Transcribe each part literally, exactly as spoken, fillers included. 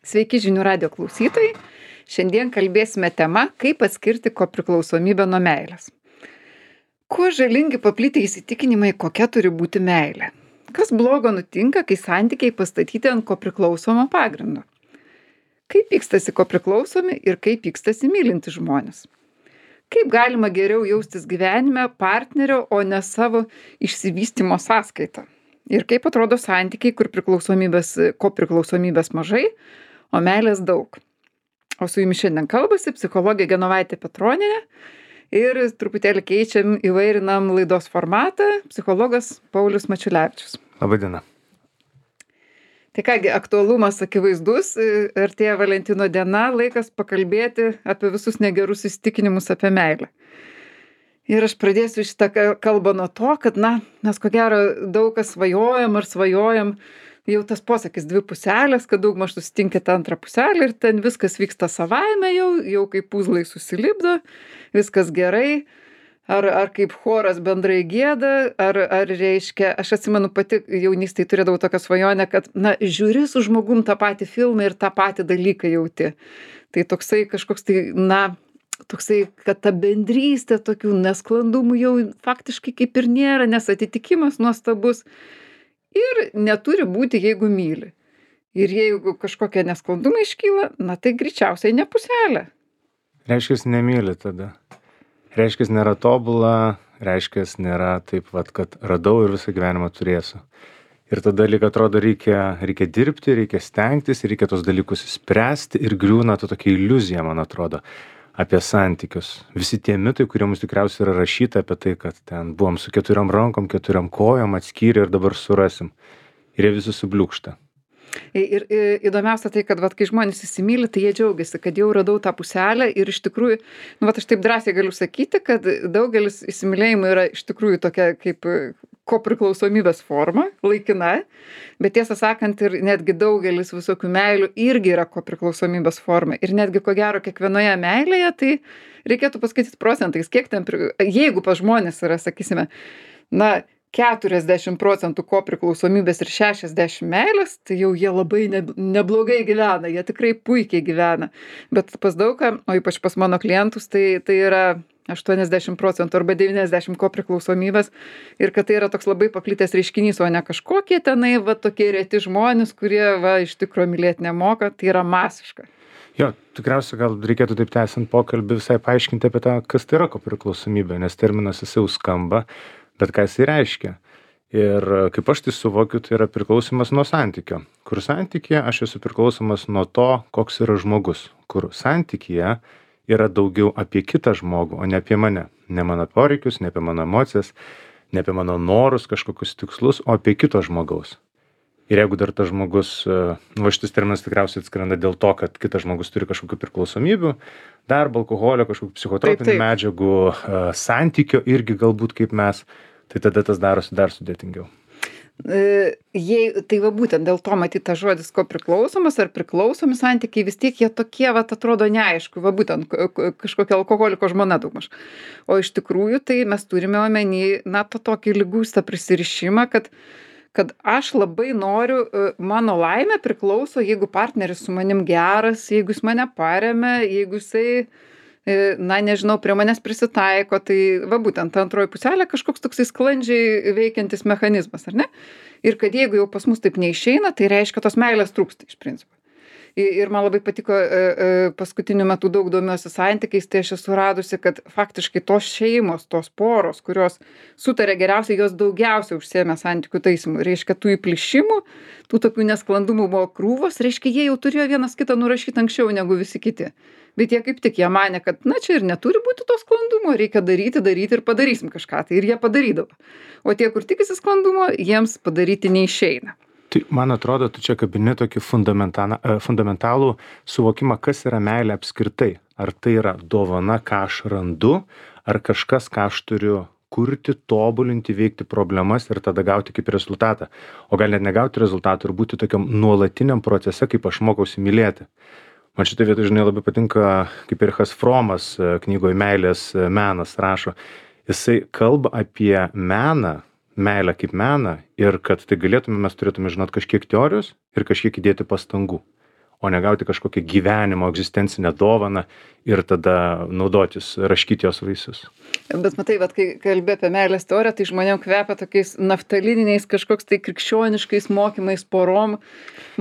Sveiki žinių radijo klausytojai. Šiandien kalbėsime tema, kaip atskirti kopriklausomybę nuo meilės. Kuo žalingi paplitę įsitikinimai, kokia turi būti meilė? Kas blogo nutinka, kai santykiai pastatyti ant kopriklausomo pagrindo? Kaip pykstasi kopriklausomi ir kaip pykstasi mylinti žmonės? Kaip galima geriau jaustis gyvenime partnerio, o ne savo išsivystymo sąskaita? Ir kaip atrodo santykiai, kur priklausomybės, kopriklausomybės mažai, o meilės daug. O su jumis šiandien kalbasi psichologė Genovaitė Petronienė ir truputėlį keičiam, įvairinam laidos formatą, psichologas Paulius Mačiulevičius. Labadiena. Tai kągi, aktualumas akivaizdus, artėja Valentino diena, laikas pakalbėti apie visus negerus įsitikinimus apie meilę. Ir aš pradėsiu šitą kalbą nuo to, kad, na, mes ko gero daug kas svajojam ar svajojam, jau tas posakis dvi puselės, kad daug maž susitinkite antrą puselę ir ten viskas vyksta savaime jau, jau kaip puzlai susilipdo, viskas gerai, ar, ar kaip choras bendrai gieda, ar, ar reiškia, aš atsimenu pati jaunystėje turėdavau tokią svajonę, kad, na, žiūri su žmogum tą patį filmą ir tą patį dalyką jauti. Tai toksai kažkoks tai, na, toksai, kad ta bendrystė tokių nesklandumų jau faktiškai kaip ir nėra, nes atitikimas nuostabus. Ir neturi būti, jeigu myli. Ir jeigu kažkokie nesklandumai iškyla, na tai greičiausiai ne puselė. Reiškia, nemyli tada. Reiškia, nėra tobula, reiškia, nėra taip, vat, kad radau ir visą gyvenimą turėsiu. Ir tada lyg atrodo reikia, reikia dirbti, reikia stengtis, reikia tos dalykus spręsti ir griūna ta tokia iliuzija, man atrodo, apie santykius. Visi tie mitai, kurie mums tikriausiai yra rašyta apie tai, kad ten buvom su keturiom rankom, keturiom kojom atskyrę ir dabar surasim. Ir jie visi subliūkšta. Ir, ir įdomiausia tai, kad vat, kai žmonės įsimyli, tai jie džiaugiasi, kad jau radau tą puselę ir iš tikrųjų, nu, vat, aš taip drąsiai galiu sakyti, kad daugelis įsimylėjimų yra iš tikrųjų tokia kaip kopriklausomybės forma, laikina, bet tiesą sakant ir netgi daugelis visokių meilių irgi yra kopriklausomybės forma. Ir netgi ko gero kiekvienoje meilėje, tai reikėtų paskaityti procentais, kiek ten, jeigu pas žmonės yra, sakysime, na, keturiasdešimt procentų kopriklausomybės ir šešiasdešimt meilės, tai jau jie labai neblogai gyvena, jie tikrai puikiai gyvena. Bet pas daugą, o ypač pas mano klientus, tai, tai yra aštuoniasdešimt procentų arba devyniasdešimt kopriklausomybės ir kad tai yra toks labai paplitęs reiškinys, o ne kažkokie tenai, va, tokie reti žmonės, kurie, va, iš tikrųjų mylėti nemoka, tai yra masiška. Jo, tikriausiai gal reikėtų taip tęsiant pokalbį visai paaiškinti apie tą, kas tai yra kopriklausomybė, nes terminas jis jau skamba, bet ką jis reiškia. Ir kaip aš tai suvokiu, tai yra priklausimas nuo santykio. Kur santykėje aš esu priklausomas nuo to, koks yra žmogus. Kur santykėje yra daugiau apie kitą žmogų, o ne apie mane. Ne mano poreikius, ne apie mano emocijas, ne apie mano norus, kažkokius tikslus, o apie kito žmogaus. Ir jeigu dar tas žmogus, nu, šitas terminas tikriausiai atskrenda dėl to, kad kitas žmogus turi kažkokių priklausomybių, darbo, alkoholio, kažkokių psichotropinių medžiagų, santykio irgi galbūt kaip mes, tai tada tas darosi dar sudėtingiau. Jei, tai va būtent dėl to matyt tas žodis kopriklausomas ar priklausomi santykiai, vis tiek jie tokie, va, atrodo neaišku, va būtent kažkokia alkoholiko žmona daugmaž. O iš tikrųjų tai mes turime omeny, na, to tokį liguistą prisirišimą, kad kad aš labai noriu, mano laimė priklauso, jeigu partneris su manim geras, jeigu jis mane paremia, jeigu jisai, na, nežinau, prie manęs prisitaiko, tai va būtent antroji puselė kažkoks toksai sklandžiai veikiantis mechanizmas, ar ne? Ir kad jeigu jau pas mus taip neišeina, tai reiškia, tos meilės trūksta iš principo. Ir man labai patiko, paskutiniu metu daug domiuosi santykiais, tai aš esu radusi, kad faktiškai tos šeimos, tos poros, kurios sutarė geriausiai, jos daugiausiai užsiėmė santykių taisymų. Reiškia, tų įplyšimų, tų tokių nesklandumų buvo krūvos, reiškia, jie jau turėjo vienas kitą nurašyti anksčiau negu visi kiti. Bet jie kaip tik, jie manė, kad, na, čia ir neturi būti to sklandumo, reikia daryti, daryti ir padarysim kažką. Tai ir jie padarydavo. O tie, kur tikisi sklandumo, jiems padaryti neišeina. Tai man atrodo, tu čia kabini tokį fundamentalų suvokimą, kas yra meilė apskritai. Ar tai yra dovana, ką aš randu, ar kažkas, ką aš turiu kurti, tobulinti, veikti problemas ir tada gauti kaip rezultatą. O gal net negauti rezultatų ir būti tokiam nuolatiniam procese, kaip aš mokausi mylėti. Man šitą vietą, žinai, labai patinka, kaip ir Erichas Fromas knygoje Meilės menas rašo. Jisai kalba apie meną, meilę kaip meną ir kad tai galėtume, mes turėtume žinot kažkiek teorijos ir kažkiek įdėti pastangų. o ne gauti kažkokią gyvenimo egzistencinę dovaną ir tada naudotis, raškyti jos vaisius. Bet matai, vat, kai kalbė apie meilės teoriją, tai žmonėm kvepia tokiais naftalininiais kažkoks tai krikščioniškais mokymais porom,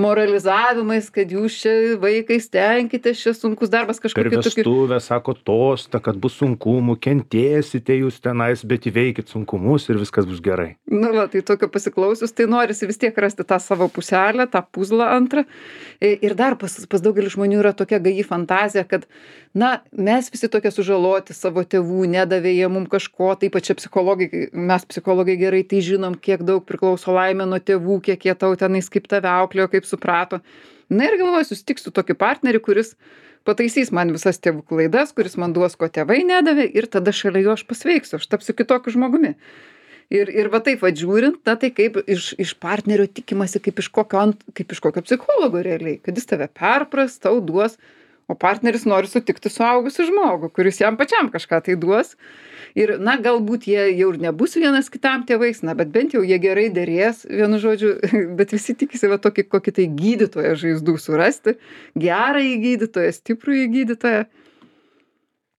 moralizavimais, kad jūs čia vaikai stenkitės, čia sunkus darbas Per kažkokiu tokiu. vestuvę, sako, tosta, kad bus sunkumų, kentėsite jūs tenais, bet įveikit sunkumus ir viskas bus gerai. Nu, va, tai tokio pasiklausius, tai norisi vis tiek rasti tą savo puselę, tą puzlą antrą. I- Ir dar pas, pas daugelį žmonių yra tokia gaji fantazija, kad, na, mes visi tokie sužaloti savo tėvų, nedavė jie mums kažko, taip pat čia psichologai, mes psichologai gerai tai žinom, kiek daug priklauso laimė nuo tėvų, kiek jie tau tenais kaip tave auklėjo, kaip suprato. Na ir galvoju, susitiksiu tokį partnerį, kuris pataisys man visas tėvų klaidas, kuris man duos, ko tėvai nedavė ir tada šalia jo aš pasveiksiu, aš tapsiu kitokiu žmogumi. Ir, ir va taip va žiūrint, na tai kaip iš, iš partnerio tikimasi, kaip iš, kokio, ant- kaip iš kokio psichologo realiai, kad jis tave perpras, tau duos, o partneris nori sutikti suaugusių žmogų, kuris jam pačiam kažką tai duos. Ir, na, galbūt jie jau ir nebus vienas kitam tėvais, na, bet bent jau jie gerai derės, vienu žodžiu, bet visi tikisi va tokį kokį tai gydytoją žaizdų surasti, gerąjį gydytoją, stiprųjį gydytoją.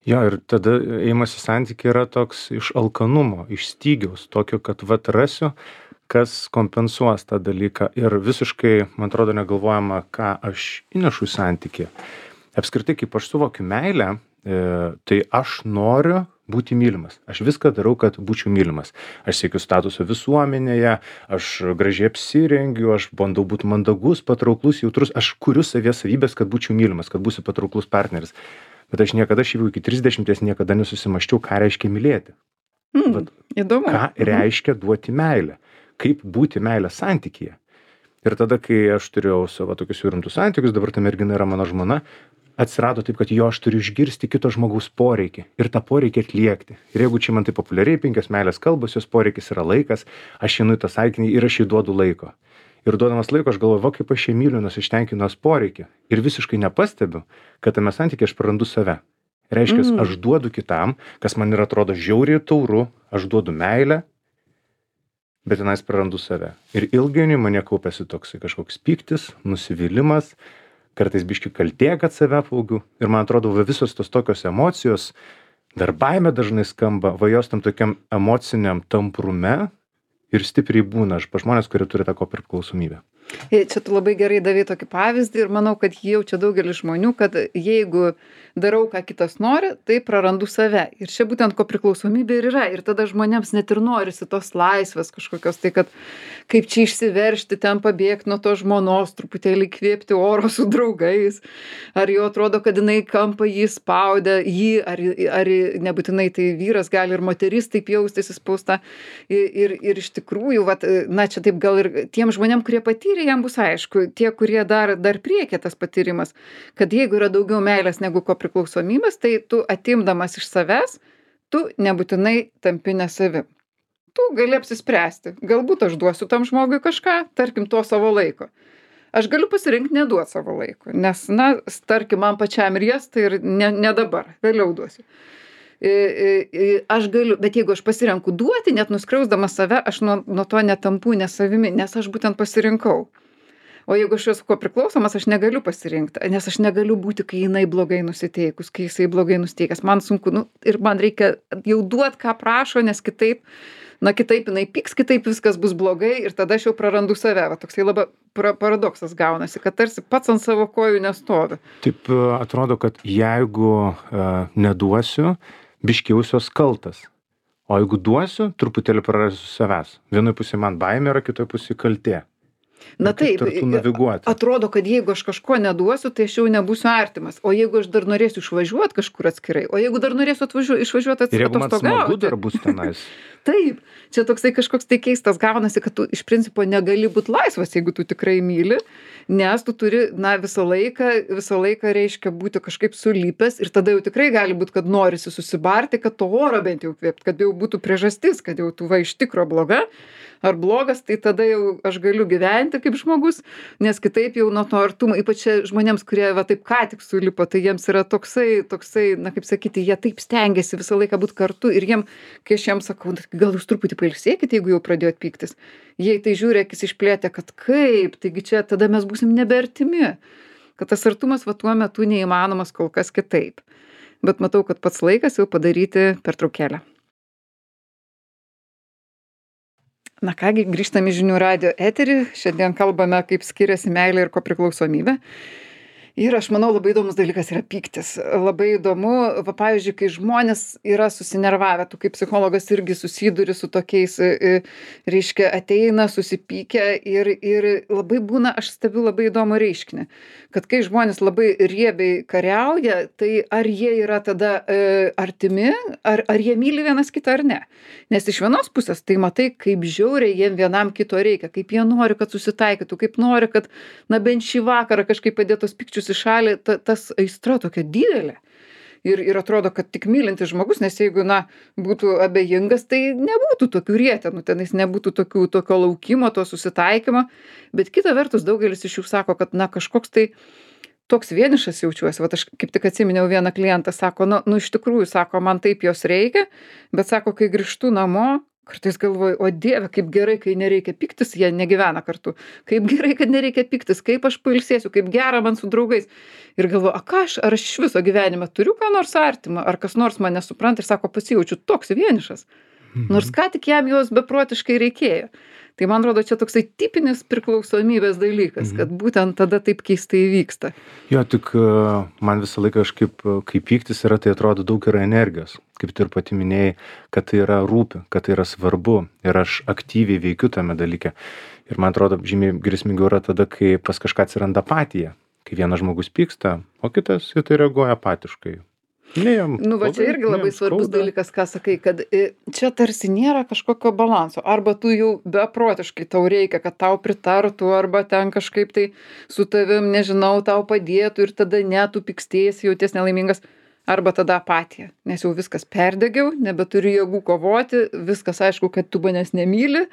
Jo, ir tada ėjimas į santykį yra toks iš alkanumo, iš stygiaus, tokio, kad vat rasiu, kas kompensuos tą dalyką. Ir visiškai, man atrodo, negalvojama, ką aš įnešu į santykį. Apskritai, kaip aš suvokiu meilę, e, tai aš noriu būti mylimas. Aš viską darau, kad būčiau mylimas. Aš siekiu statuso visuomenėje, aš gražiai apsirengiu, aš bandau būti mandagus, patrauklus, jautrus, aš kuriu savie savybės, kad būčiau mylimas, kad būsiu patrauklus partneris. Bet aš niekada šiaip iki trisdešimties niekada nesusimaščiau, ką reiškia mylėti. Mm, Vat įdomu. ką reiškia duoti meilę, kaip būti meilę santykyje. Ir tada, kai aš turėjau savo tokius jau rimtus santykius, dabar ta mergina yra mano žmona, atsirado taip, kad jo aš turiu išgirsti kito žmogaus poreikį ir tą poreikį atliekti. Ir jeigu čia man tai populiariai penkios meilės kalbos, jos poreikis yra laikas, aš einu į tą sakinį ir aš jį duodu laiko. Ir duodamas laiko aš galvoju, va kaip aš jį myliu, nes ištenkinu jos poreikį. Ir visiškai nepastebiu, kad tame santykiai aš prarandu save. Reiškia, Mm. aš duodu kitam, kas man ir atrodo žiauriai tauru, aš duodu meilę, bet tenais prarandu save. Ir ilgainiui mane kaupiasi toksai kažkoks pyktis, nusivylimas, kartais biški kaltė, kad save apaugiu. Ir man atrodo, va visos tos tokios emocijos, dar baimė dažnai skamba, va jos tam tokiam emociniam tamprume ir stipriai būna aš pa žmonės, kurie turi tą kopriklausomybę. E, Čia tu labai gerai davei tokį pavyzdį ir manau, kad jį jaučia daugelis žmonių, kad jeigu darau, ką kitas nori, tai prarandu save. Ir čia būtent ko priklausomybė ir yra. Ir tada žmonėms net ir norisi tos laisvės kažkokios, tai kad kaip čia išsiveršti, ten pabėgti nuo to žmonos, truputėlį kvėpti oro su draugais. Ar jau atrodo, kad jinai kampą jį spaudė, jį, ar, ar nebūtinai tai vyras, gali ir moteris taip jaustis įspausta. Ir, ir, ir iš tikrųjų, vat, na čia taip gal ir tiem žmonėm, kurie patyrė, jam bus aišku, tie, kurie dar, dar priekė tas patyrimas, kad jeigu yra daugiau meilės negu ko priklausomybės, tai tu atimdamas iš savęs, tu nebūtinai tampi ne savim. Tu gali apsispręsti. Galbūt aš duosiu tam žmogui kažką, tarkim, to savo laiko. Aš galiu pasirinkti neduoti savo laiko, nes, na, tarkim, man pačiam riest, tai ir ne, ne dabar, vėliau duosiu. I, i, i, aš galiu, bet jeigu aš pasirenku duoti, net nuskriausdama save, aš nuo, nuo to netampu ne savimi, nes aš būtent pasirinkau. O jeigu aš esu ko priklausomas, aš negaliu pasirinkti, nes aš negaliu būti, kai jinai blogai nusiteikus, kai jisai blogai nusiteikęs. Man sunku, nu, ir man reikia jau duot, ką prašo, nes kitaip, na, kitaip jinai pyks, kitaip viskas bus blogai ir tada aš jau prarandu save. Va, toksai labai pra, paradoksas gaunasi, kad tarsi pats ant savo kojų nestovi. Taip e, atrodo, kad jeigu uh, neduosiu, biškiausios kaltas. O jeigu duosiu, truputėlį prarasiu savęs. Vienoje pusėje man baimė yra, kitoje pusėje kaltė. Na Ir kaip taip, tartum naviguoti. atrodo, kad jeigu aš kažko neduosiu, tai aš jau nebūsiu artimas. O jeigu aš dar norėsiu išvažiuoti kažkur atskirai, o jeigu dar norėsiu atvažiuoti, išvažiuoti Ir jeigu man smagu atostogauti. dar bus tenais. Taip, čia toksai kažkoks tai keistas gaunasi, kad tu iš principo negali būti laisvas, jeigu tu tikrai myli, nes tu turi, na, visą laiką, visą laiką reiškia būti kažkaip sulipęs ir tada jau tikrai gali būti, kad norisi susibarti, kad to oro bent jau kvėpti, kad jau būtų priežastis, kad jau tu va iš tikro bloga ar blogas, tai tada jau aš galiu gyventi kaip žmogus, nes kitaip jau nuo to artumo, ypač čia žmonėms, kurie va taip ką tik sulipo, tai jiems yra toksai, toksai, na kaip sakyti, jie taip stengiasi visą laiką būti kartu ir jiem, kai aš jiems sakau, gal jūs truputį pailsėkit, jeigu jau pradėjot pyktis, jie tai žiūri akis išplėtę, kad kaip, taigi čia tada mes būsim nebeartimi. kad tas artumas va tuo metu neįmanomas kol kas kitaip. Bet matau, kad pats laikas jau padaryti pertraukėlę. Na kągi, grįžtam į žinių radijo eterį. Šiandien kalbame, kaip skiriasi meilė ir kopriklausomybė. Ir aš manau, labai įdomus dalykas yra pyktis. Labai įdomu, va, pavyzdžiui, kai žmonės yra susinervavę, tu kaip psichologas irgi susiduri su tokiais, reiškia, ateina susipykę ir, ir labai būna, aš stebiu labai įdomų reiškinį, kad kai žmonės labai riebiai kariauja, tai ar jie yra tada e, artimi, ar, ar jie myli vienas kitą ar ne. Nes iš vienos pusės tai matai, kaip žiauriai jiem vienam kito reikia, kaip jie nori, kad susitaikytų, kaip nori, kad na bent šį vakarą kažkaip padėtos pykčius į šalį, ta, tas aistra tokia didelė. Ir, ir atrodo, kad tik mylintis žmogus, nes jeigu, na, būtų abejingas, tai nebūtų tokių rietenų, tenais nebūtų tokių, tokio laukimo, to susitaikymo. Bet kita vertus, daugelis iš jų sako, kad, na, kažkoks tai toks vienišas jaučiuosi. Vat aš kaip tik atsiminiau vieną klientą, sako, nu, nu, iš tikrųjų, sako, man taip jos reikia, bet sako, kai grįžtu namo, kartais galvoju, o Dieve, kaip gerai, kai nereikia pyktis, jie negyvena kartu. Kaip gerai, kad nereikia pyktis, kaip aš pailsėsiu, kaip gera man su draugais. Ir galvoju, a ką aš, ar aš iš viso gyvenime turiu ką nors artimą, ar kas nors mane supranta ir sako, pasijaučiu toks vienišas. Mhm. Nors ką tik jam jos beprotiškai reikėjo. Tai man atrodo, čia toksai tipinis priklausomybės dalykas, mhm. kad būtent tada taip keistai vyksta. Jo, tik uh, man visą laiką kažkaip, kai pyktis yra, tai atrodo daug yra energijos. Kaip tu ir pati minėjai, kad tai yra rūpi, kad tai yra svarbu ir aš aktyviai veikiu tame dalyke. Ir man atrodo, žymiai grėsmingiau yra tada, kai pas kažką atsiranda apatija. Kai vienas žmogus pyksta, o kitas į tai reaguoja apatiškai. Nejam, nu, va čia irgi labai svarbus skauda. Dalykas, ką sakai, kad čia tarsi nėra kažkokio balanso. Arba tu jau beprotiškai tau reikia, kad tau pritartų, arba ten kažkaip tai su tavim, nežinau, tau padėtų ir tada ne, tu pykstėsi, jauties nelaimingas. Arba tada apatija, nes jau viskas perdegiau, nebeturiu jėgų kovoti, viskas aišku, kad tu manęs nemyli,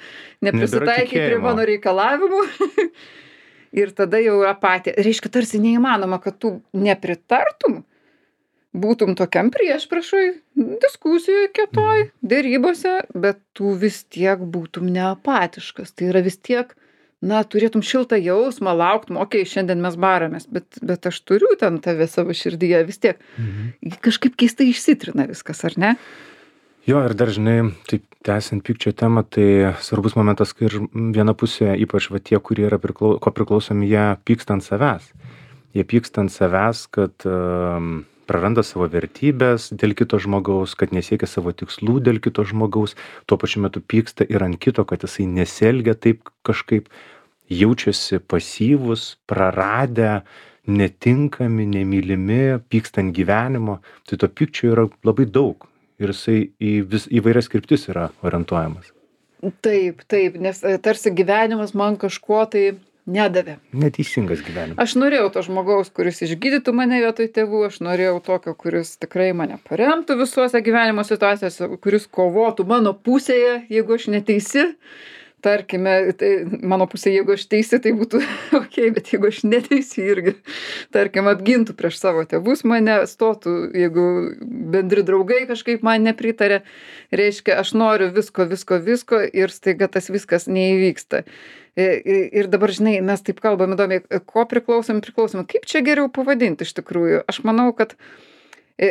neprisitaikai prie mano reikalavimų. Ir tada jau apatija. Reiškia, tarsi neįmanoma, kad tu nepritartum, būtum tokiam priešpriešoj, diskusijoje kietoj, dėrybose, bet tu vis tiek būtum neapatiškas. Tai yra vis tiek, na, turėtum šiltą jausmą, lauktum, okei, šiandien mes baramės, bet, bet aš turiu ten tave savo širdyje vis tiek. Mhm. Kažkaip keistai išsitrina viskas, ar ne? Jo, ir dar, žinai, taip tęsiant pykčio temą, tai svarbus momentas, kai ir viena pusė, ypač va tie, kurie yra priklau, ko priklausomi, jie pyksta ant savęs. Jie pyksta ant savęs, kad um, praranda savo vertybės dėl kito žmogaus, kad nesiekia savo tikslų dėl kito žmogaus, tuo pačiu metu pyksta ir ant kito, kad jisai nesielgia taip kažkaip, jaučiasi pasyvus, praradę, netinkami, nemylimi, pyksta ant gyvenimo. Tai to pykčio yra labai daug ir jisai į vis, įvairias kryptis yra orientuojamas. Taip, taip, nes tarsi gyvenimas man kažko tai nedavė. Neteisingas gyvenimas. Aš norėjau to žmogaus, kuris išgydytų mane vietoj tėvų, aš norėjau tokio, kuris tikrai mane paremtų visuose gyvenimo situacijose, kuris kovotų mano pusėje, jeigu aš neteisi. Tarkime, tai mano pusė, jeigu aš teisi, tai būtų ok, bet jeigu aš neteisi irgi, tarkim, apgintų prieš savo tėvus mane, stotų, jeigu bendri draugai kažkaip man nepritarė, reiškia, aš noriu visko, visko, visko ir staiga tas viskas neįvyksta. Ir dabar, žinai, mes taip kalbam įdomiai, ko priklausom, priklausom, kaip čia geriau pavadinti iš tikrųjų. Aš manau, kad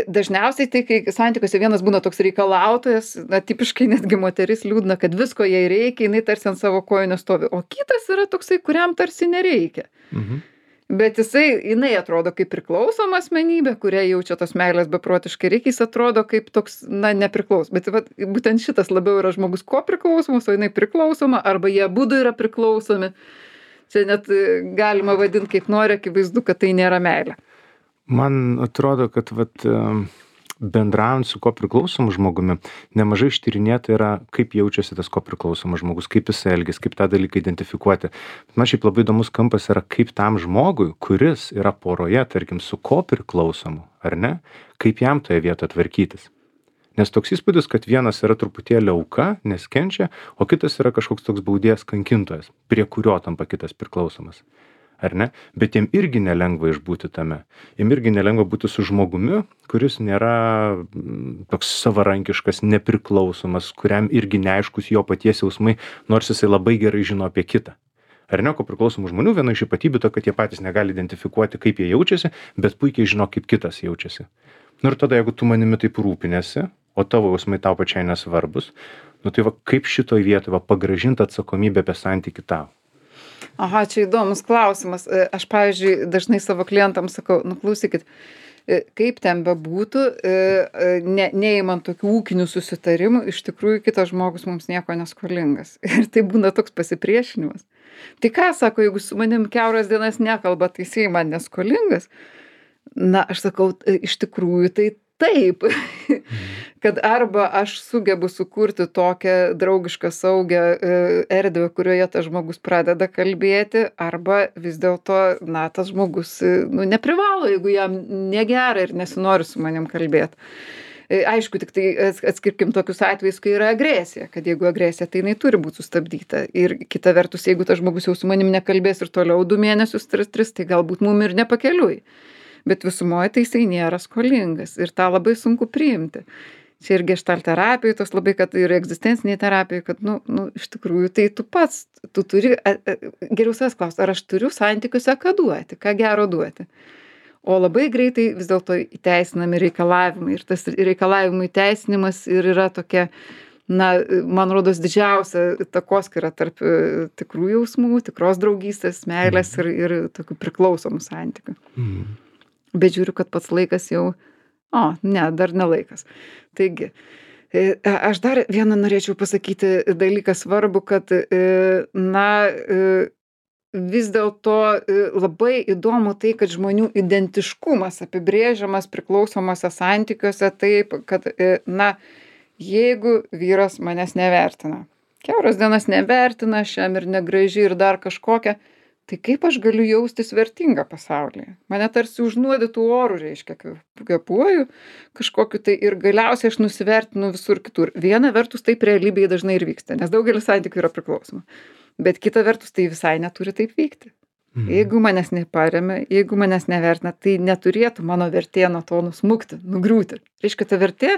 dažniausiai tai, kai santykiuose vienas būna toks reikalautojas, na, tipiškai netgi moteris liūdna, kad visko jai reikia, jinai tarsi ant savo kojų nestovi, o kitas yra toksai, kuriam tarsi nereikia. Mhm. Bet jisai, jinai atrodo kaip priklausoma asmenybė, kuria jaučia tos meilės beprotiškai reikia, jis atrodo kaip toks, na, nepriklaus. Bet vat, būtent šitas labiau yra žmogus ko priklausomas, o jinai priklausoma, arba jie abudu yra priklausomi. Čia net galima vadinti kaip nori, akivaizdu, kad tai nėra meilė. Man atrodo, kad vat, bendraujant su ko priklausomu žmogumi, nemažai ištyrinėta yra, kaip jaučiasi tas ko priklausomas žmogus, kaip jis elgis, kaip tą dalyką identifikuoti. Man šiaip labai įdomus kampas yra, kaip tam žmogui, kuris yra poroje, tarkim, su ko priklausomu, ar ne, kaip jam toje vietoje tvarkytis. Nes toks įspūdis, kad vienas yra truputėlį auka, nes kenčia, o kitas yra kažkoks toks baudėjas kankintojas, prie kurio tampa kitas priklausomas. Ar ne? Bet jiem irgi nelengva išbūti tame. Jiem irgi nelengva būti su žmogumi, kuris nėra toks savarankiškas, nepriklausomas, kuriam irgi neaiškus jo paties jausmai, nors jisai labai gerai žino apie kitą. Ar ne, kopriklausomų žmonių viena iš ypatybių to, kad jie patys negali identifikuoti, kaip jie jaučiasi, bet puikiai žino, kaip kitas jaučiasi. Nu ir tada, jeigu tu manimi taip rūpinėsi, o tavo jausmai tau pačiai nesvarbus, nu tai va kaip šitoj vietoj va pagrąžinti atsakomybę apie santykį tau? Aha, čia įdomus klausimas. E, Aš, pavyzdžiui, dažnai savo klientams sakau, nu klausykit, e, kaip ten bebūtų, e, e, ne, neįmant tokių ūkinių susitarimų, iš tikrųjų kitas žmogus mums nieko neskolingas. Ir tai būna toks pasipriešinimas. Tai ką sako, jeigu su manim kiauras dienas nekalba, tai jisai man neskolingas? Na, aš sakau, e, iš tikrųjų tai taip, kad arba aš sugebu sukurti tokią draugišką, saugią e, erdvę, kurioje tas žmogus pradeda kalbėti, arba vis dėlto, na, tas žmogus, e, nu, neprivalo, jeigu jam negera ir nesinori su manim kalbėti. E, Aišku, tik tai ats- atskirkim tokius atvejus, kai yra agresija, kad jeigu agresija, tai jinai turi būti sustabdyta. Ir kita vertus, jeigu tas žmogus jau su manim nekalbės ir toliau du mėnesius, tris, tris, tai galbūt mum ir nepakeliui. Bet visumoje tai jisai nėra skolingas ir tą labai sunku priimti. Čia ir gestalt terapijoj, tos labai, kad ir egzistenciniai terapijoj, kad, nu, nu, iš tikrųjų, tai tu pats, tu turi, a, a, geriau savęs klausti, ar aš turiu santykiuose ką duoti, ką gero duoti. O labai greitai vis dėlto įteisinami reikalavimai ir tas reikalavimų įteisinimas ir yra tokia, na, man rodos, didžiausia takoskyra tarp e, tikrų jausmų, tikros draugystės, meilės ir, ir tokių priklausomų santykių. Mhm. Bet žiūriu, kad pats laikas jau, o, ne, dar ne laikas. Taigi, e, aš dar vieną norėčiau pasakyti dalyką svarbu, kad, e, na, e, vis dėlto e, labai įdomu tai, kad žmonių identiškumas apibrėžiamas priklausomose santykiuose taip, kad, e, na, jeigu vyras manęs nevertina, kiauras dienas nevertina, šiam ir negraži ir dar kažkokia, tai kaip aš galiu jaustis vertinga pasaulyje? Mane tarsi užnuodytų orų, reiškia, kvėpuoju kažkokiu tai ir galiausiai aš nusivertinu visur kitur. Viena vertus taip realybėje dažnai ir vyksta, nes daugelis santykių yra priklausoma. Bet kita vertus tai visai neturi taip vykti. Mhm. Jeigu manęs neparemia, jeigu manęs nevertina, tai neturėtų mano vertė nuo to nusmukti, nugriūti. Reiškia, ta vertė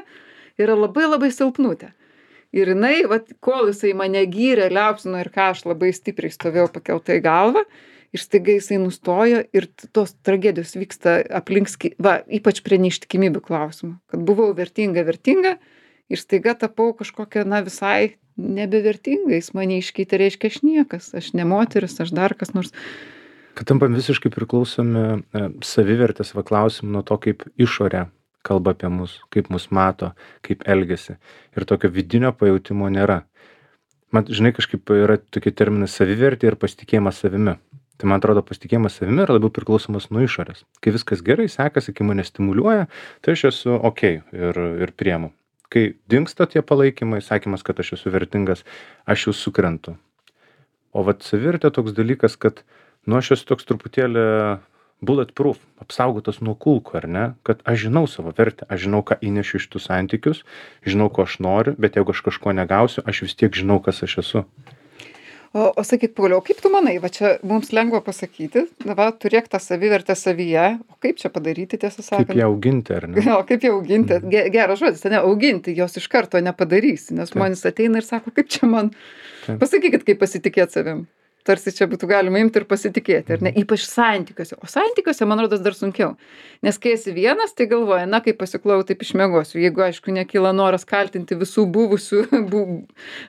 yra labai labai silpnutė. Ir jinai, vat, kol jisai mane gyrė, liaupsino ir ką aš labai stipriai stovėjau pakeltai galvą, ir staiga jisai nustojo ir t- tos tragedijos vyksta aplink, ski- va, ypač prie neištikimybių klausimų. Kad buvau vertinga, vertinga ir staiga tapau kažkokia, na, visai nebevertinga. Jis mane iškeitė, reiškia, aš niekas, aš ne moteris, aš dar kas nors. Kad tampam visiškai priklausomi e, savivertės va klausimų nuo to, kaip išorė kalba apie mus, kaip mus mato, kaip elgiasi. Ir tokio vidinio pajautimo nėra. Man, žinai, kažkaip yra tokie terminai savivertė ir pasitikėjimas savimi. Tai man atrodo, pasitikėjimas savimi yra labiau priklausomas nuo išorės. Kai viskas gerai sekasi, kai mane stimuliuoja, tai aš esu ok ir, ir priemu. Kai dingsta tie palaikymai, sakymas, kad aš esu vertingas, aš jau sukrentu. O vat savivertė toks dalykas, kad nu aš esu toks truputėlį bulletproof, apsaugotas nuo kulkų, ar ne? Kad aš žinau savo vertę, aš žinau, ką įnešiu iš tų santykius, žinau, ko aš noriu, bet jeigu aš kažko negausiu, aš vis tiek žinau, kas aš esu. O, o sakyk, Pauliau, kaip tu manai, va čia mums lengva pasakyti, na, va, turėk tą savivertę savyje, o kaip čia padaryti, tiesą sakant? Kaip ją auginti, ar ne? O kaip ją auginti? Ge- Geras žodis, ne, auginti, jos iš karto nepadarysi, nes Taip. žmonės ateina ir sako, kaip čia man, Taip. pasakykit, kaip pasitikėti savim. Tarsi čia būtų galima imti ir pasitikėti, ar ne? Ypač santykiuose. O santykiuose, man rodos, dar sunkiau. Nes kai esi vienas, tai galvoja, na, kaip pasiklau, taip išmiegosiu. Jeigu, aišku, nekyla noras kaltinti visų buvusių bu,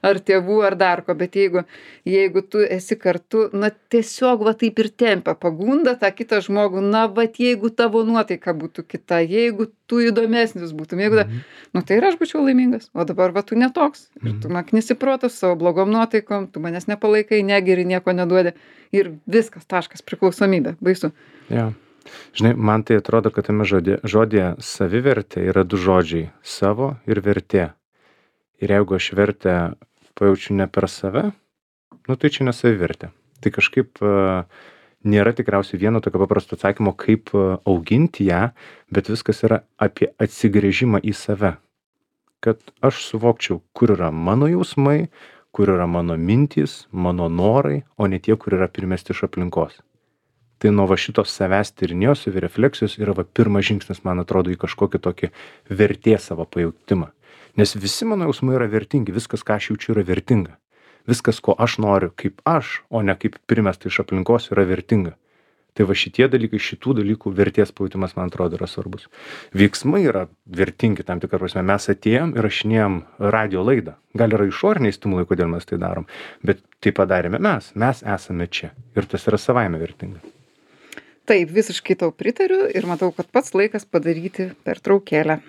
ar tėvų, ar dar ko, bet jeigu, jeigu tu esi kartu, na, tiesiog va taip ir tempia pagunda tą kitą žmogų, na, va, jeigu tavo nuotaika būtų kita, jeigu tu įdomesnis būtum, jeigu, da, nu, tai ir aš būčiau laimingas, o dabar va tu netoks. Ir tu man knisi protas savo blogom nuotaikom, tu manęs nepalaikai, negeri, nieko neduodi ir viskas, taškas, priklausomybė, baisu. Ja. Žinai, man tai atrodo, kad tame žodė, žodėje savivertė yra du žodžiai - savo ir vertė. Ir jeigu aš vertę pajaučiu ne per save, nu tai čia ne savivertė. Tai kažkaip uh, nėra tikriausiai vieno tokio paprasto atsakymo, kaip uh, auginti ją, bet viskas yra apie atsigręžimą į save. Kad aš suvokčiau, kur yra mano jausmai, kur yra mano mintys, mano norai, o ne tie, kur yra primesti iš aplinkos. Tai nuo va šitos savęs tyrinėjos, savirefleksijos yra va pirmas žingsnis, man atrodo, į kažkokį tokį vertės savo pajautimą. Nes visi mano jausmai yra vertingi, viskas, ką aš jaučiu, yra vertinga. viskas, ko aš noriu, kaip aš, o ne kaip primesta iš aplinkos, yra vertinga. Tai va šitie dalykai, šitų dalykų vertės pajautimas, man atrodo, yra svarbus. Veiksmai yra vertingi tam tikrą prasme. Mes atėjom ir rašinėjom radio laidą. Gal yra išoriniai stimulai, kodėl mes tai darom, bet tai padarėme mes. Mes esame čia. Ir tas yra savaime vertinga. Taip, visiškai tau pritariu ir matau, kad pats laikas padaryti pertraukėlę.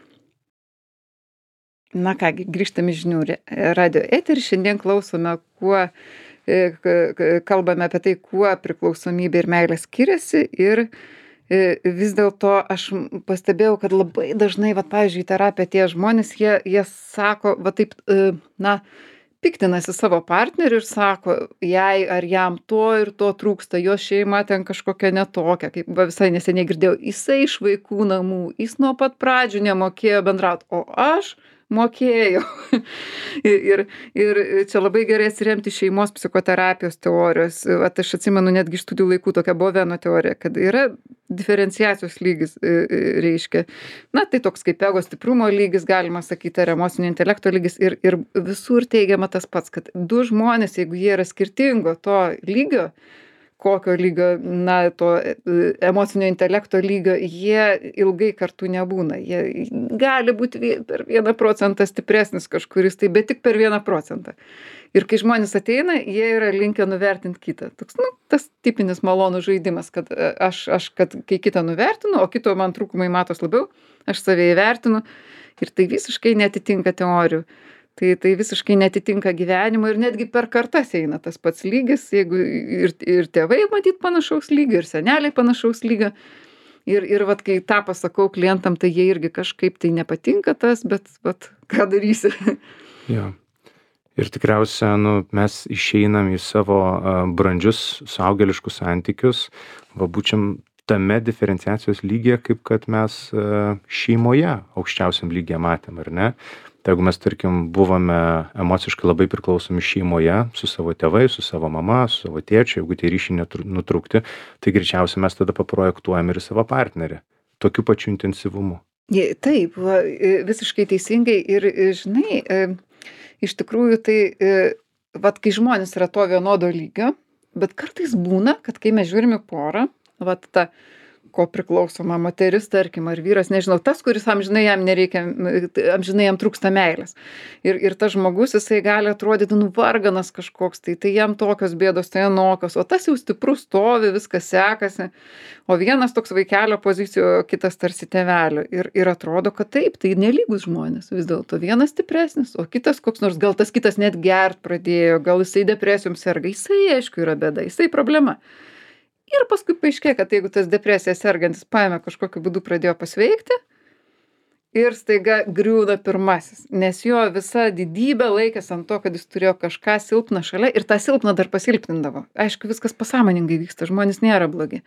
Na kągi, grįžtame į žinių radio eterį. Šiandien klausome, kuo kalbame apie tai, kuo priklausomybė ir meilė skiriasi ir vis dėlto aš pastebėjau, kad labai dažnai, vat, pavyzdžiui, į terapiją tie žmonės, jie, jie sako, va taip, na, piktinasi savo partneriu ir sako, jai ar jam to ir to trūksta, jo šeima ten kažkokia netokia, kaip va, visai neseniai girdėjau, jisai iš vaikų namų, jis nuo pat pradžių nemokėjo bendrauti, o aš mokėjau. ir, ir čia labai gerai atsiremti šeimos psichoterapijos teorijos. At aš atsimenu netgi iš studijų laikų tokia Boveno teorija, kad yra diferenciacijos lygis, reiškia. Na, tai toks kaip ego stiprumo lygis, galima sakyti, ar emocinio intelekto lygis. Ir, ir visur teigiama tas pats, kad du žmonės, jeigu jie yra skirtingo to lygio, kokio lygio, na, to emocinio intelekto lygio, jie ilgai kartu nebūna. Jie gali būti per vieną procentą stipresnis kažkuris, tai bet tik per vieną procentą. Ir kai žmonės ateina, jie yra linkę nuvertinti kitą. Toks, nu, tas tipinis malonus žaidimas, kad aš, aš kad kai kitą nuvertinu, o kito man trūkumai matos labiau, aš save įvertinu ir tai visiškai netitinka teorijų. Tai, tai visiškai netitinka gyvenimo ir netgi per kartas eina tas pats lygis, jeigu ir, ir tėvai matyt panašaus lygio, ir seneliai panašaus lygio. Ir, ir vat, kai tą pasakau klientam, tai jie irgi kažkaip tai nepatinka tas, bet vat, ką darysi. Jo. Ir tikriausia, nu, mes išeinam į savo uh, brandžius suaugėliškus santykius, va būčiam tame diferenciacijos lygyje, kaip kad mes uh, šeimoje aukščiausiam lygyje matėm, ar ne? Tai jeigu mes, tarkim, buvome emociškai labai priklausomi šeimoje, su savo tėvais, su savo mama, su savo tėčiu, jeigu tie ryšiai nutraukti, tai greičiausiai mes tada paprojektuojam ir savo partnerį, tokiu pačiu intensyvumu. Taip, va, visiškai teisingai ir, žinai, iš tikrųjų tai, vat, kai žmonės yra to vienodo lygio, bet kartais būna, kad kai mes žiūrime porą, vat, ta ko priklausoma moteris, tarkim, ar vyras, nežinau, tas, kuris amžinai jam nereikia, amžinai jam trūksta meilės. Ir, ir tas žmogus, jisai gali atrodyti nuvarganas kažkoks, tai, tai jam tokios bėdos, tai anokios, o tas jau stiprus stovi, viskas sekasi, o vienas toks vaikelio pozicijoje, kitas tarsi tėvelio. Ir, ir atrodo, kad taip, tai nelygus žmonės, vis dėlto vienas stipresnis, o kitas koks nors, gal tas kitas net gert pradėjo, gal jisai depresijom serga, jisai, aišku, yra bėda, jisai problema. Ir paskui paaiškėja, kad jeigu tas depresija sergantis paėmė kažkokiu būdu pradėjo pasveikti ir staiga griūna pirmasis, nes jo visa didybė laikėsi ant to, kad jis turėjo kažką silpną šalia ir tą silpną dar pasilpnindavo. Aišku, viskas pasąmoningai vyksta, žmonės nėra blogi.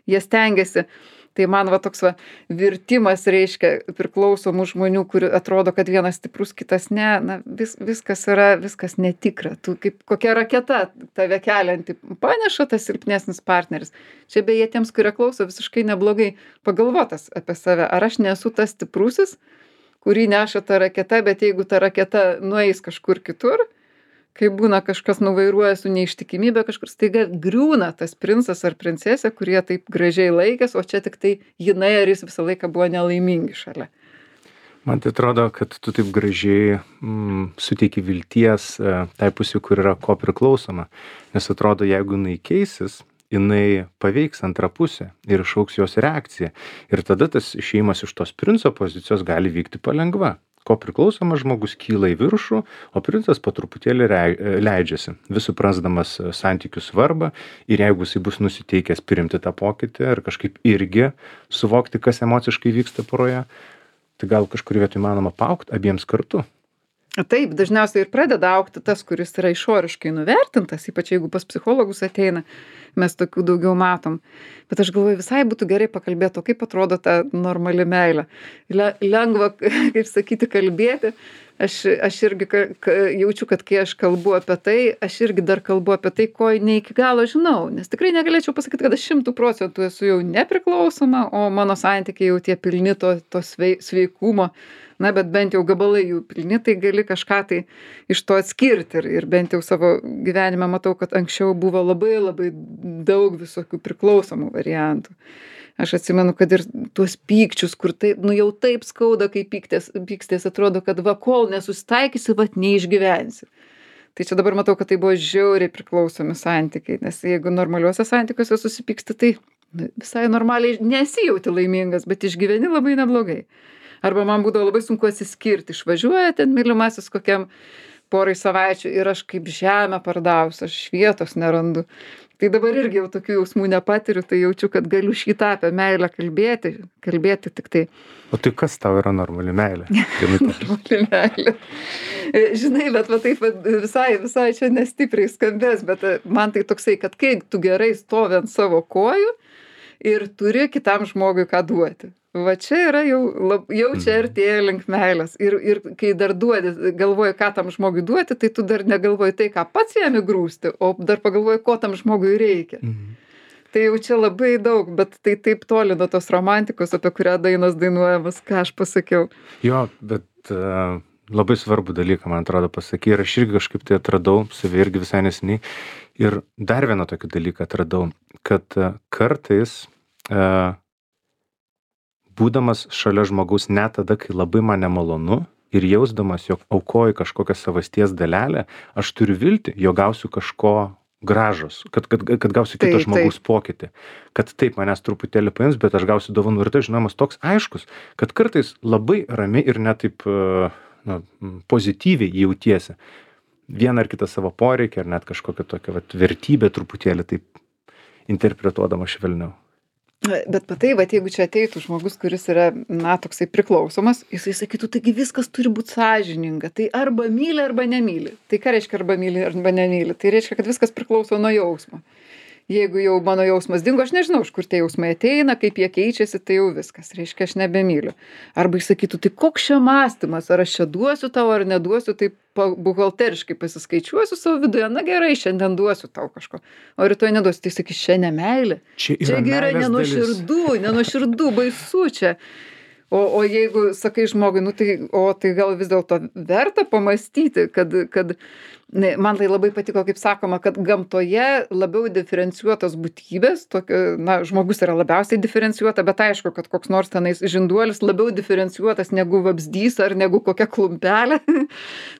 Jie stengiasi. Tai man va toks va virtimas reiškia priklausomų žmonių, kur atrodo, kad vienas stiprus, kitas ne, na, vis, viskas yra, viskas netikra. Tu kaip kokia raketa tave kelianti paneša tas silpnesnis partneris. Čia beje tiems, kurie klauso, visiškai neblogai pagalvotas apie save. Ar aš nesu tas stiprusis, kurį neša ta raketa, bet jeigu ta raketa nueis kažkur kitur, kai būna kažkas nuvairuoja su neištikimybė, kažkur staiga griūna tas princas ar princesė, kurie taip gražiai laikės, o čia tik tai jinai ar jis visą laiką buvo nelaimingi šalia. Man tai atrodo, kad tu taip gražiai mm, suteiki vilties e, tai pusė, kur yra ko priklausoma. Nes atrodo, jeigu jinai keisis, jinai paveiks antrą pusę ir išauks jos reakcija. Ir tada tas išėjimas iš tos princo pozicijos gali vykti palengva. Ko priklausomas žmogus kyla į viršų, o princas po truputėlį leidžiasi, vis suprasdamas santykių svarbą ir jeigu jisai bus nusiteikęs priimti tą pokytį ir kažkaip irgi suvokti, kas emociškai vyksta poroje, tai gal kažkurį vietą įmanoma paaugti abiems kartu. Taip, dažniausiai ir pradeda augti tas, kuris yra išoriškai nuvertintas, ypač jeigu pas psichologus ateina, mes tokių daugiau matom. Bet aš galvoju, visai būtų gerai pakalbėti, o kaip atrodo ta normali meilė. Le, lengva, kaip sakyti, kalbėti. Aš, aš irgi ka, ka, jaučiu, kad kai aš kalbu apie tai, aš irgi dar kalbu apie tai, ko ne iki galo žinau. Nes tikrai negalėčiau pasakyti, kad aš šimtų procentų esu jau nepriklausoma, o mano santykiai jau tie pilni to, to sveikumo. Na, bet bent jau gabalai jų pilni, tai gali kažką tai iš to atskirti. Ir, ir bent jau savo gyvenime matau, kad anksčiau buvo labai labai daug visokių priklausomų variantų. Aš atsimenu, kad ir tuos pykčius, kur tai, nu jau taip skauda, kai pyktės, pykstės, atrodo, kad va, kol nesusitaikysi, va, neišgyvensi. Tai čia dabar matau, kad tai buvo žiauriai priklausomi santykiai, nes jeigu normaliuose santykiuose susipyksti, tai visai normaliai nesijauti laimingas, bet išgyveni labai neblogai. Arba man būdavo labai sunku atsiskirti, išvažiuoja ten mylimasis kokiam porai savaičių ir aš kaip žemę pardavus, aš vietos nerandu. Tai dabar irgi jau tokių jausmų nepatiriu, tai jaučiu, kad galiu šitą apie meilę kalbėti, kalbėti tik tai. O tai kas tau yra normali meilė? Normali meilė. Žinai, bet va taip visai, visai čia nestipriai skambės, bet man tai toksai, kad kai tu gerai stovi ant savo kojų ir turi kitam žmogui ką duoti. Va čia yra jau, lab, jau čia artėja link meilės. Ir, ir kai dar duodi, galvoji, ką tam žmogui duoti, tai tu dar negalvoji tai, ką pats jam įgrūsti, o dar pagalvoji, ko tam žmogui reikia. Mhm. Tai jau čia labai daug, bet tai taip toli nuo tos romantikos, apie kurią dainos dainuojamas, ką aš pasakiau. Jo, bet uh, labai svarbų dalyką, man atrodo, pasakė. Ir aš irgi kažkaip tai atradau, savai irgi visai neseniai. Ir dar vieną tokį dalyką atradau, kad uh, kartais uh, būdamas šalia žmogaus net tada, kai labai man nemalonu ir jausdamas, jog aukoju kažkokią savasties dalelę, aš turiu viltį, jog gausiu kažko gražos, kad, kad, kad gausiu kito Taip, žmogaus taip. pokytį. Kad taip manęs truputėlį paims, bet aš gausiu dovanų. Ir tai žinomas toks aiškus, kad kartais labai rami ir net taip na, pozityviai jautiesi vieną ar kitą savo poreikį, ar net kažkokią tokią vat, vertybę truputėlį taip interpretuodama švelniau. Bet matai, vat, jeigu čia ateitų žmogus, kuris yra, na, toksai priklausomas, jisai sakytų, taigi viskas turi būti sąžininga. Tai arba myli, arba nemyli. Tai ką reiškia arba myli, arba nemyli? Tai reiškia, kad viskas priklauso nuo jausmo. Jeigu jau mano jausmas dingo, aš nežinau, iš kur tie jausmai ateina, kaip jie keičiasi, tai jau viskas. Reiškia, aš nebemyliu. Arba jis sakytų, tai koks čia mąstymas, ar aš čia duosiu tau, ar neduosiu, tai buhalteriškai pasiskaičiuosiu savo viduje, na gerai, šiandien duosiu tau kažko, o rytoj neduosiu, tai sakys, čia ne meilė. Čia yra, Čiagi yra nenuoširdų, nenuoširdų, baisu čia. O, o jeigu sakai žmogui, nu tai, o tai gal vis dėlto verta pamastyti, kad, kad ne, man tai labai patiko, kaip sakoma, kad gamtoje labiau diferencijuotos būtybės, tokio, na, žmogus yra labiausiai diferencijuota, bet aišku, kad koks nors tenais žinduolis labiau diferencijuotas negu vabzdys ar negu kokia klumpelė,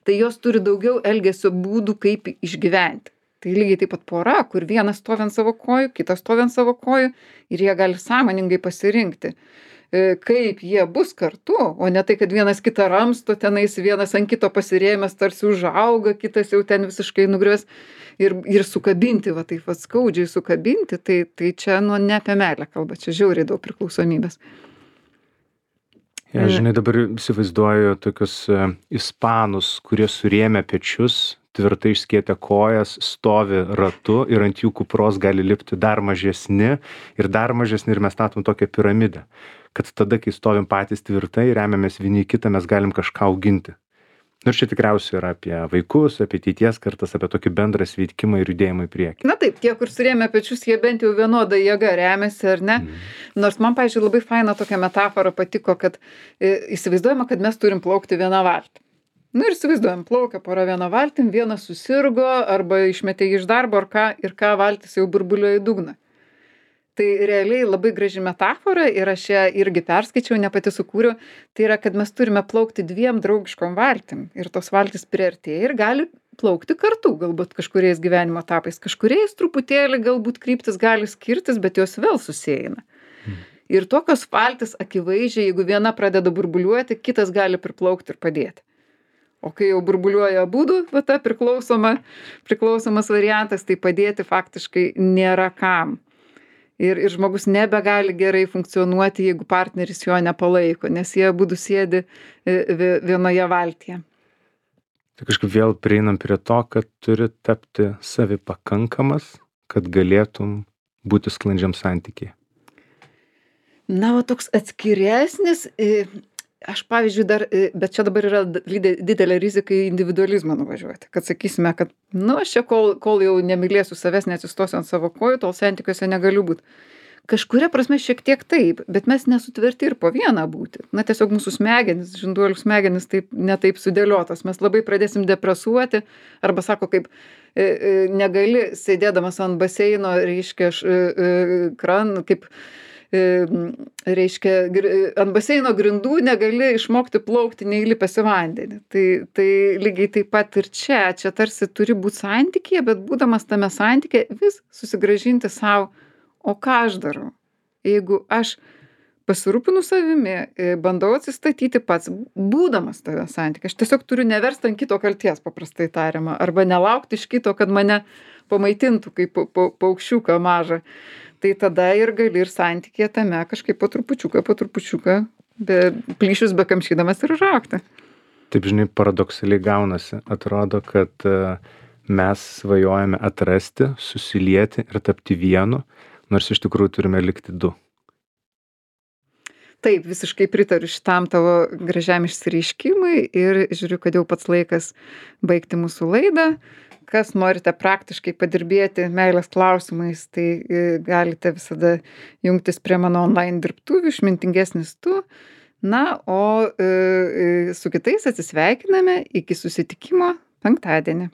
tai jos turi daugiau elgesio būdų, kaip išgyventi. Tai lygiai taip pat pora, kur vienas stovi ant savo kojų, kitas stovi ant savo kojų ir jie gali sąmoningai pasirinkti, kaip jie bus kartu, o ne tai, kad vienas kitą ramsto, tenais vienas ant kito pasirėmęs tarsi užauga, kitas jau ten visiškai nugrius ir, ir sukabinti, va taip va skaudžiai sukabinti, tai, tai čia nu ne apie meilę kalba, čia žiauriai daug priklausomybės. Ja, žinai, dabar įsivaizduoju tokius uh, ispanus, kurie surėmė pečius, tvirtai išskėtę kojas, stovi ratu ir ant jų kupros gali lipti dar mažesni ir dar mažesni ir mes statom tokią piramidę. Kad tada, kai stovim patys tvirtai, remiamės vieni į kitą, mes galim kažką auginti. Ir čia tikriausiai yra apie vaikus, apie ateities kartas, apie tokį bendrą sveikimą ir judėjimą į priekį. Na taip, tie, kur surėmė pečius, jie bent jau vienodą jėgą remiasi, ar ne? Mm. Nors man, pavyzdžiui, labai faina tokia metafora patiko, kad e, įsivaizduojama, kad mes turim plaukti vieną valtį. Nu ir įsivaizduojam, plaukia pora vieną valtim, vienas susirgo arba išmetė iš darbo ar ką, ir ką valtis jau burbulioja į dugną. Tai realiai labai graži metafora ir aš ją irgi perskaičiau, ne pati sukūriau, tai yra, kad mes turime plaukti dviem draugiškom valtim ir tos valtis priartėja ir gali plaukti kartu, galbūt kažkuriais gyvenimo etapais, kažkuriais truputėlį galbūt kryptis gali skirtis, bet jos vėl susieina. Hmm. Ir tokios valtis akivaizdžiai, jeigu viena pradeda burbuliuoti, kitas gali priplaukti ir padėti. O kai jau burbuliuoja abudu, va ta priklausoma, priklausomas variantas, tai padėti faktiškai nėra kam. Ir, ir žmogus nebegali gerai funkcionuoti, jeigu partneris jo nepalaiko, nes jie abudu sėdi vienoje valtyje. Tai kažkaip vėl prieinam prie to, kad turi tapti savipakankamas, kad galėtum būti sklandžiam santykyje. Na, o toks atskiresnis, aš pavyzdžiui dar, bet čia dabar yra didelė rizika į individualizmą nuvažiuoti, kad sakysime, kad, nu, aš čia kol, kol jau nemylėsiu savęs, neatsistosiu ant savo kojų, tol santykiuose negaliu būti. Kažkuria prasme šiek tiek taip, bet mes nesutverti ir po vieną būti. Na, tiesiog mūsų smegenys, žinduolių smegenys taip, ne taip sudėliotos. Mes labai pradėsim depresuoti, arba sako, kaip e, e, negali sėdėdamas ant baseino, reiškia, š, e, e, kran, kaip, e, reiškia, gr, ant baseino grindų negali išmokti plaukti, neįlipęs į vandenį. Tai, tai lygiai taip pat ir čia. Čia tarsi turi būti santykėje, bet būdamas tame santykėje vis susigrąžinti savo, o ką aš darau? Jeigu aš pasirūpinu savimi, bandau atsistatyti pats, būdamas tave santykį, aš tiesiog turiu neversti ant kito kalties, paprastai tariama, arba nelaukti iš kito, kad mane pamaitintų kaip pa, pa, paukščiuką mažą. Tai tada ir gali ir santykėje tame kažkaip po trupučiuką, po trupučiuką, be plyšius bekamšydamas ir užaugti. Taip, žinai, paradoksaliai gaunasi. Atrodo, kad mes svajojame atrasti, susilieti ir tapti vienu, nors iš tikrųjų turime likti du. Taip, visiškai pritariu šitam tavo gražiam išsireiškimui ir žiūriu, kad jau pats laikas baigti mūsų laidą. Kas norite praktiškai padirbėti meilės klausimais, tai galite visada jungtis prie mano online dirbtuvių, išmintingesnis tu. Na, o e, su kitais atsisveikiname iki susitikimo penktadienį.